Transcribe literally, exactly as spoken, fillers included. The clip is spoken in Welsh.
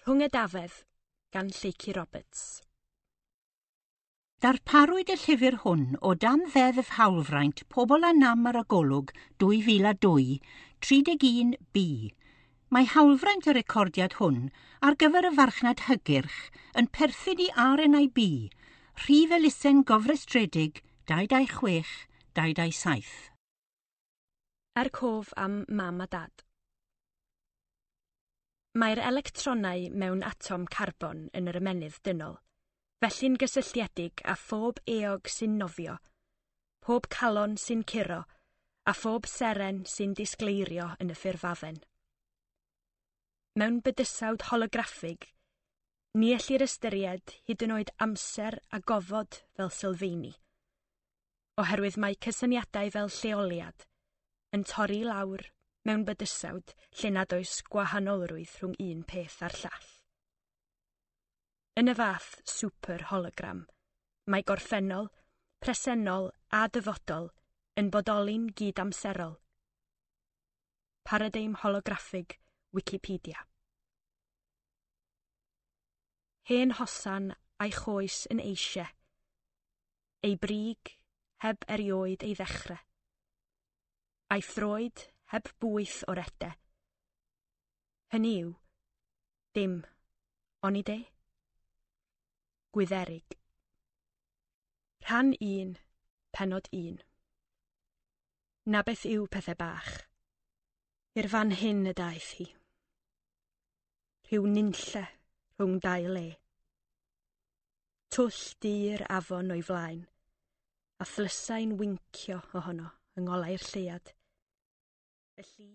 Rhwng Edafedd gan Lleucu Roberts. Darparwyd y llyfr hwn o dan Ddeddf Hawlfraint Pobl â Nam ar y Golwg dwy fil a dwy, tri deg un B. Mae hawlfraint y recordiad hwn ar gyfer y farchnad hygyrch yn perthyn i R N I B, rhif elusen gofrestredig dau dau chwech dau dau saith. Er cof am Mam a Dad. Mae'r electronau mewn atom carbon yn yr ymennydd dynol, felly'n gysylltiedig â phob eog sy'n nofio, pob calon sy'n curo, a phob seren sy'n disgleirio yn y ffurfafen. Mewn bydysawd holograffig, ni ellir ystyried hyd yn oed amser a gofod fel sylfeini, oherwydd mae cysyniadau fel lleoliad yn torri lawr mewn bydysawd lle nad oes gwahanolrwydd rhwng un peth a'r llall. Yn y fath super hologram, mae gorffennol, presennol a dyfodol yn bodoli'n gydamserol. Paradigm holograffig, Wikipedia. Hen hosan a'i choes yn eisiau. Ei brig heb erioed ei ddechrau. A'i throed heb bwyth o'r ede. Hynny yw, dim, onid e? Gwydderig. Rhan un, pennod un. Na beth yw pethau bach. I'r fan hyn y daeth hi. Rhyw nunlle rhwng dau le. Twll du'r afon o'i flaen, a thlysau'n wincio ohono yng ngolau'r lleuad. Y lli